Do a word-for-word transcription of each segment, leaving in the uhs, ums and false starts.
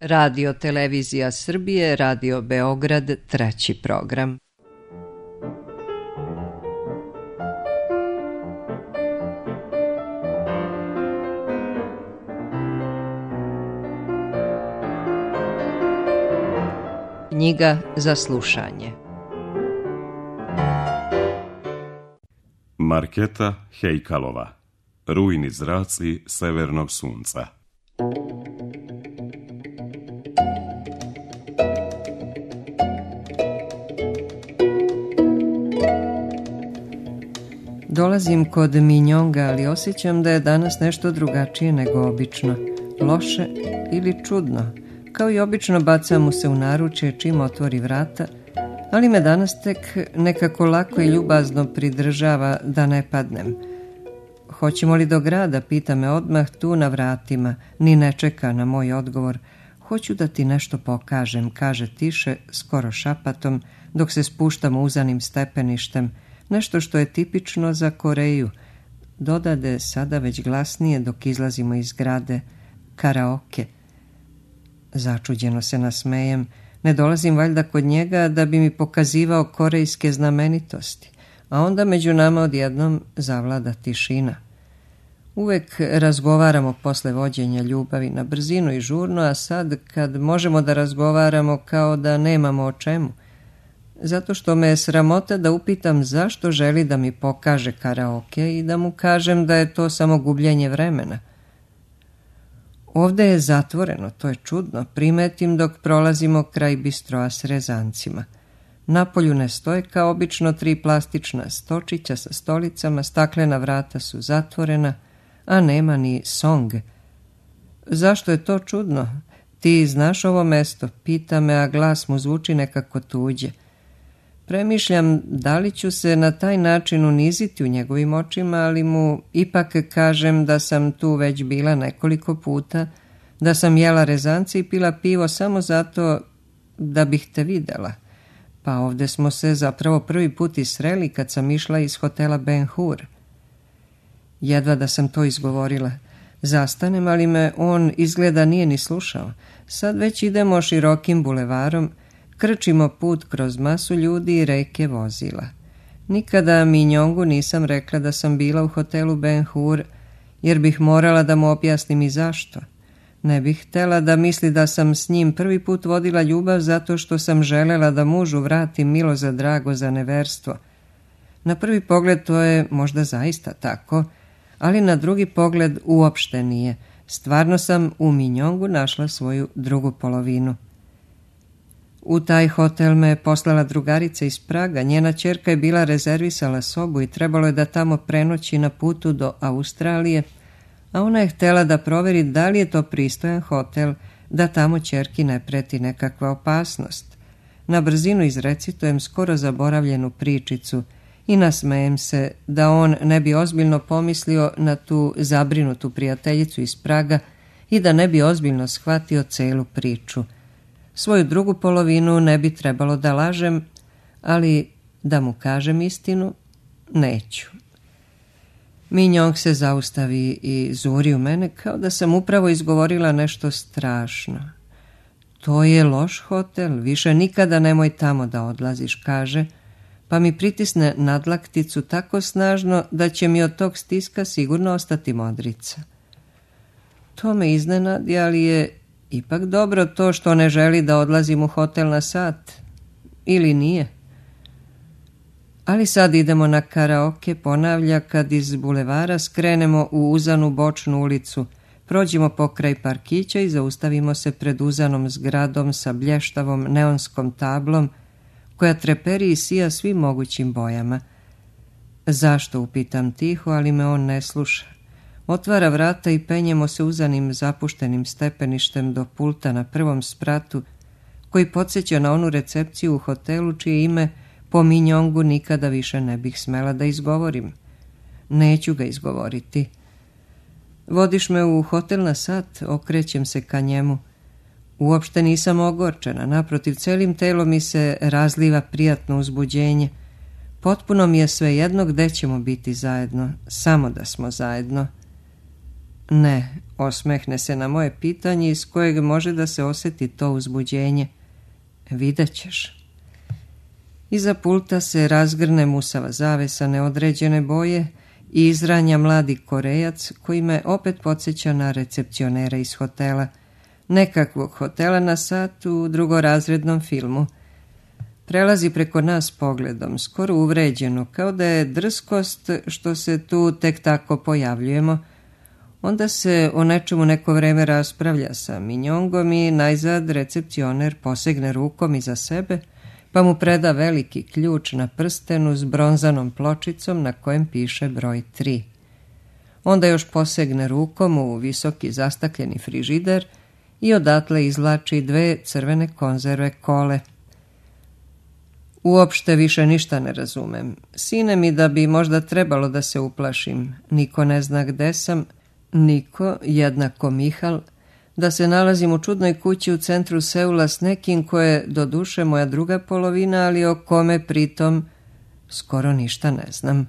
Radio Televizija Srbije, Radio Beograd, treći program. Knjiga za slušanje. Marketa Hejkalova. Rujni zraci severnog sunca. Dolazim kod Minjonga, ali osjećam da je danas nešto drugačije nego obično. Loše ili čudno. Kao i obično bacam mu se u naručje čim otvori vrata, ali me danas tek nekako lako i ljubazno pridržava da ne padnem. Hoćemo li do grada, pita me odmah tu na vratima, ni ne čeka na moj odgovor. Hoću da ti nešto pokažem, kaže tiše, skoro šapatom, dok se spuštamo uzanim stepeništem, nešto što je tipično za Koreju. Dodade sada već glasnije dok izlazimo iz zgrade, karaoke. Začuđeno se nasmejem, ne dolazim valjda kod njega da bi mi pokazivao korejske znamenitosti, a onda među nama odjednom zavlada tišina. Uvek razgovaramo posle vođenja ljubavi na brzinu i žurno, a sad kad možemo da razgovaramo kao da nemamo o čemu. Zato što me je sramota da upitam zašto želi da mi pokaže karaoke i da mu kažem da je to samo gubljenje vremena. Ovde je zatvoreno, to je čudno, primetim dok prolazimo kraj bistroa s rezancima. Napolju ne stoje kao obično tri plastična stočića sa stolicama, staklena vrata su zatvorena, a nema ni song. Zašto je to čudno? Ti znaš ovo mesto, pita me, a glas mu zvuči nekako tuđe. Premišljam da li ću se na taj način uniziti u njegovim očima, ali mu ipak kažem da sam tu već bila nekoliko puta, da sam jela rezance i pila pivo samo zato da bih te videla. Pa ovde smo se zapravo prvi put i sreli kad sam išla iz hotela Ben Hur. Jedva da sam to izgovorila. Zastanem, ali me on izgleda nije ni slušao. Sad već idemo širokim bulevarom, krčimo put kroz masu ljudi i reke vozila. Nikada Minjongu nisam rekla da sam bila u hotelu Ben Hur, jer bih morala da mu objasnim i zašto. Ne bih htela da misli da sam s njim prvi put vodila ljubav zato što sam želela da mužu vratim milo za drago za neverstvo. Na prvi pogled to je možda zaista tako, ali na drugi pogled uopšte nije. Stvarno sam u Minjongu našla svoju drugu polovinu. U taj hotel me je poslala drugarica iz Praga, njena ćerka je bila rezervisala sobu i trebalo je da tamo prenoći na putu do Australije, a ona je htjela da proveri da li je to pristojan hotel, da tamo ćerki ne preti nekakva opasnost. Na brzinu izrecitujem skoro zaboravljenu pričicu i nasmejem se da on ne bi ozbiljno pomislio na tu zabrinutu prijateljicu iz Praga i da ne bi ozbiljno shvatio celu priču. Svoju drugu polovinu ne bi trebalo da lažem, ali da mu kažem istinu, neću. Minjong se zaustavi i zuri u mene kao da sam upravo izgovorila nešto strašno. To je loš hotel, više nikada nemoj tamo da odlaziš, kaže, pa mi pritisne nadlakticu tako snažno da će mi od tog stiska sigurno ostati modrica. To me iznenadi, ali je ipak dobro to što ne želi da odlazim u hotel na sat. Ili nije? Ali sad idemo na karaoke, ponavlja kad iz bulevara skrenemo u uzanu bočnu ulicu, prođemo pokraj parkića i zaustavimo se pred uzanom zgradom sa blještavom neonskom tablom koja treperi i sija svim mogućim bojama. Zašto, upitam tiho, ali me on ne sluša. Otvara vrata i penjemo se uzanim zapuštenim stepeništem do pulta na prvom spratu, koji podsjeća na onu recepciju u hotelu čije ime po Minjongu nikada više ne bih smela da izgovorim. Neću ga izgovoriti. Vodiš me u hotel na sat, okrećem se ka njemu. Uopšte nisam ogorčena, naprotiv, celim telom mi se razliva prijatno uzbuđenje. Potpuno mi je svejedno gde ćemo biti zajedno, samo da smo zajedno. Ne, osmehne se na moje pitanje iz kojeg može da se osjeti to uzbuđenje. Vidjet ćeš. Iza pulta se razgrne musava zavesa neodređene boje i izranja mladi Korejac koji me opet podsjeća na recepcionera iz hotela, nekakvog hotela na sat u drugorazrednom filmu. Prelazi preko nas pogledom, skoro uvređeno, kao da je drskost što se tu tek tako pojavljujemo. Onda se o nečemu neko vreme raspravlja sa Minjongom i najzad recepcioner posegne rukom iza sebe, pa mu preda veliki ključ na prstenu s bronzanom pločicom na kojem piše broj tri. Onda još posegne rukom u visoki zastakljeni frižider i odatle izvlači dve crvene konzerve kole. Uopšte više ništa ne razumem. Sine mi da bi možda trebalo da se uplašim. Niko ne zna gde sam, niko, jednako Mihal, da se nalazim u čudnoj kući u centru Seula s nekim ko je doduše moja druga polovina, ali o kome pritom skoro ništa ne znam.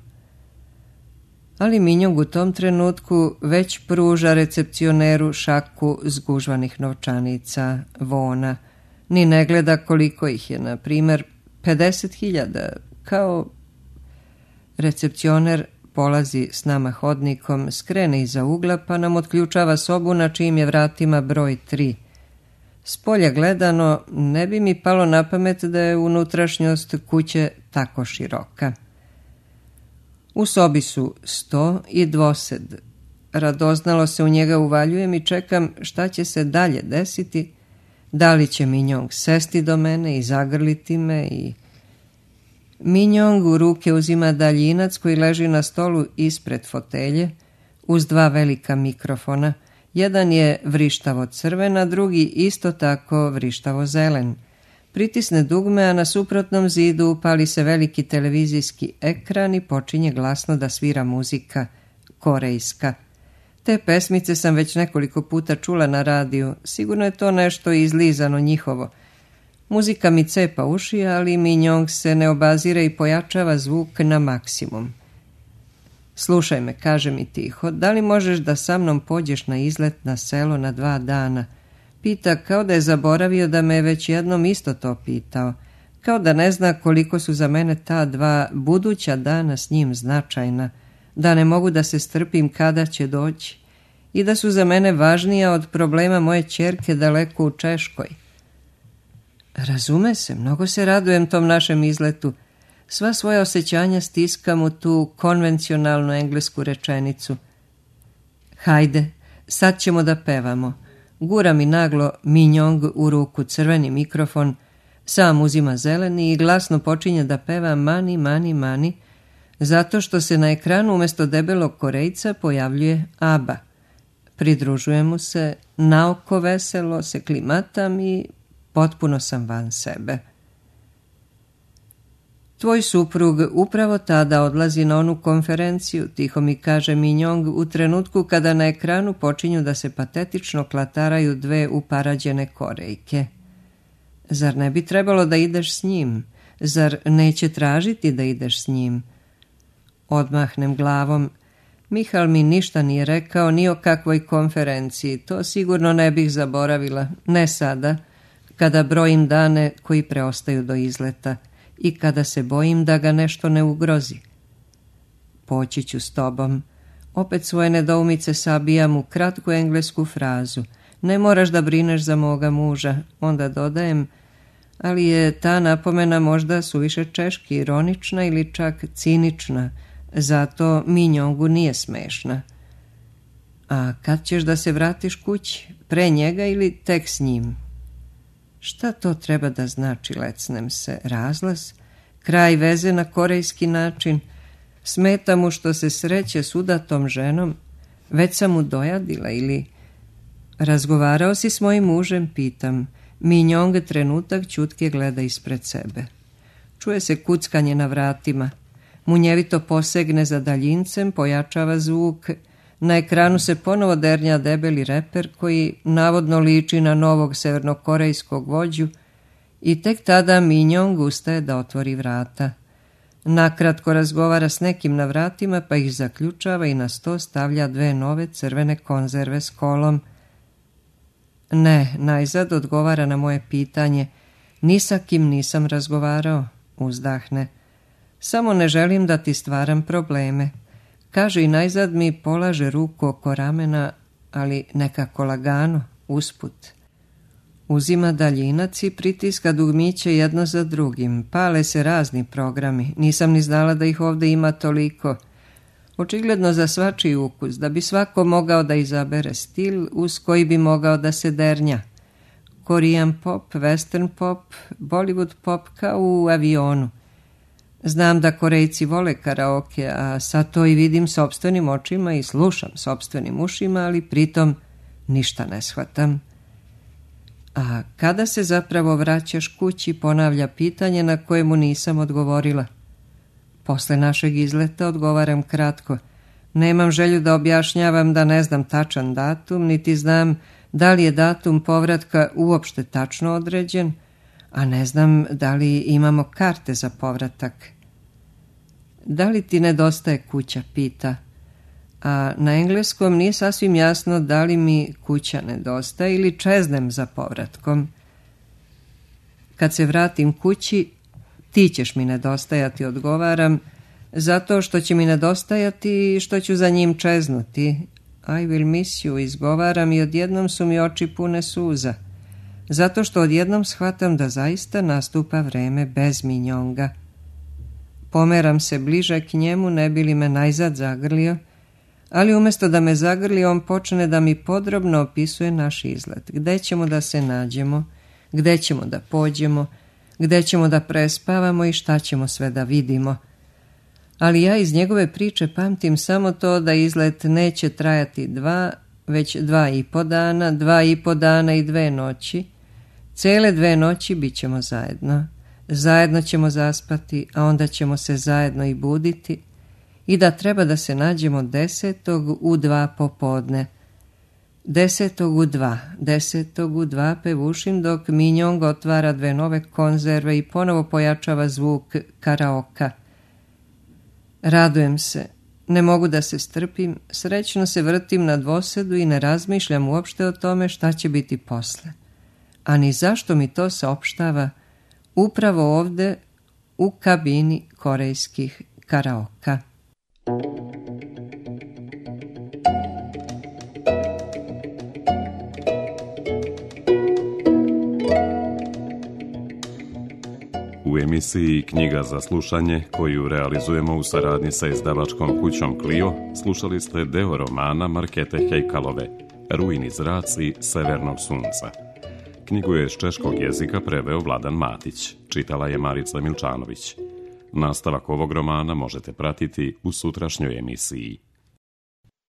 Ali Minjong u tom trenutku već pruža recepcioneru šaku zgužvanih novčanica, vona, ni ne gleda koliko ih je, na primer pedeset hiljada, kao recepcioner polazi s nama hodnikom, skrene iza ugla pa nam otključava sobu na čijim je vratima broj tri. S polja gledano ne bi mi palo na pamet da je unutrašnjost kuće tako široka. U sobi su sto i dvosed. Radoznalo se u njega uvaljujem i čekam šta će se dalje desiti, da li će Minjong sesti do mene i zagrliti me i... Minjong u ruke uzima daljinac koji leži na stolu ispred fotelje uz dva velika mikrofona. Jedan je vrištavo crven, a drugi isto tako vrištavo zelen. Pritisne dugme, a na suprotnom zidu upali se veliki televizijski ekran i počinje glasno da svira muzika, korejska. Te pesmice sam već nekoliko puta čula na radiju, sigurno je to nešto izlizano njihovo. Muzika mi cepa uši, ali Minjong se ne obazire i pojačava zvuk na maksimum. Slušaj me, kaže mi tiho, da li možeš da sa mnom pođeš na izlet na selo na dva dana? Pita kao da je zaboravio da me je već jednom isto to pitao, kao da ne zna koliko su za mene ta dva buduća dana s njim značajna, da ne mogu da se strpim kada će doći i da su za mene važnija od problema moje ćerke daleko u Češkoj. Razume se, mnogo se radujem tom našem izletu. Sva svoja osjećanja stiskam u tu konvencionalnu englesku rečenicu. Hajde, sad ćemo da pevamo. Gura mi naglo Minjong u ruku crveni mikrofon, sam uzima zeleni i glasno počinje da peva Mani, mani, mani, zato što se na ekranu umjesto debelog Korejca pojavljuje Aba. Pridružujem mu se, naoko veselo se klimatam i potpuno sam van sebe. Tvoj suprug upravo tada odlazi na onu konferenciju, tiho mi kaže Minjong u trenutku kada na ekranu počinju da se patetično klataraju dve uparađene Korejke. Zar ne bi trebalo da ideš s njim? Zar neće tražiti da ideš s njim? Odmahnem glavom. Mihal mi ništa nije rekao ni o kakvoj konferenciji, to sigurno ne bih zaboravila, ne sada, kada brojim dane koji preostaju do izleta i kada se bojim da ga nešto ne ugrozi. Poći ću s tobom. Opet svoje nedoumice sabijam u kratku englesku frazu. Ne moraš da brineš za moga muža. Onda dodajem, ali je ta napomena možda suviše češki, ironična ili čak cinična, zato Minjongu nije smešna. A kad ćeš da se vratiš kući? Pre njega ili tek s njim? Šta to treba da znači, lecnem se? Razlaz? Kraj veze na korejski način? Smeta mu što se sreće s udatom ženom? Već sam mu dojadila ili... Razgovarao si s mojim mužem, pitam. Minjong trenutak ćutke gleda ispred sebe. Čuje se kuckanje na vratima. Munjevito posegne za daljincem, pojačava zvuk. Na ekranu se ponovo dernja debeli reper koji navodno liči na novog severnokorejskog vođu i tek tada Minjong ustaje da otvori vrata. Nakratko razgovara s nekim na vratima, pa ih zaključava i na sto stavlja dve nove crvene konzerve s kolom. Ne, najzad odgovara na moje pitanje. Ni sa kim nisam razgovarao, uzdahne. Samo ne želim da ti stvaram probleme. Kaže i najzad mi polaže ruku oko ramena, ali nekako lagano, usput. Uzima daljinac i pritiska dugmiće jedno za drugim. Pale se razni programi. Nisam ni znala da ih ovdje ima toliko. Očigledno za svačiji ukus, da bi svako mogao da izabere stil uz koji bi mogao da se dernja. Korean pop, western pop, Bollywood pop kao u avionu. Znam da Korejci vole karaoke, a sad to i vidim sopstvenim očima i slušam sopstvenim ušima, ali pritom ništa ne shvatam. A kada se zapravo vraćaš kući, ponavlja pitanje na kojemu nisam odgovorila. Posle našeg izleta odgovaram kratko. Nemam želju da objašnjavam da ne znam tačan datum, niti znam da li je datum povratka uopšte tačno određen, a ne znam da li imamo karte za povratak. Da li ti nedostaje kuća, pita. A na engleskom nije sasvim jasno da li mi kuća nedostaje ili čeznem za povratkom. Kad se vratim kući, ti ćeš mi nedostajati, odgovaram, zato što će mi nedostajati i što ću za njim čeznuti. I will miss you, izgovaram i odjednom su mi oči pune suza. Zato što odjednom shvatam da zaista nastupa vreme bez minjonga. Pomeram se bliže k njemu, ne bi li me najzad zagrlio, ali umjesto da me zagrli, on počne da mi podrobno opisuje naš izlet. Gde ćemo da se nađemo, gde ćemo da pođemo, gde ćemo da prespavamo i šta ćemo sve da vidimo. Ali ja iz njegove priče pamtim samo to da izlet neće trajati dva, već dva i po dana, dva i po dana i dve noći. Cele dve noći bit ćemo zajedno. Zajedno ćemo zaspati, a onda ćemo se zajedno i buditi. I da treba da se nađemo desetog u dva popodne. Desetog u dva, desetog u dva pevušim dok Minjong otvara dve nove konzerve i ponovo pojačava zvuk karaoka. Radujem se, ne mogu da se strpim, srećno se vrtim na dvosedu i ne razmišljam uopšte o tome šta će biti posle. A ni zašto mi to saopštava upravo ovde u kabini korejskih karaoka. U emisiji Knjiga za slušanje, koju realizujemo u saradnji sa izdavačkom kućom Clio, slušali ste deo romana Markete Hejkalove, Rujni zraci severnog sunca. Knjigu je iz češkog jezika preveo Vladan Matić, čitala je Marica Milčanović. Nastavak ovog romana možete pratiti u sutrašnjoj emisiji.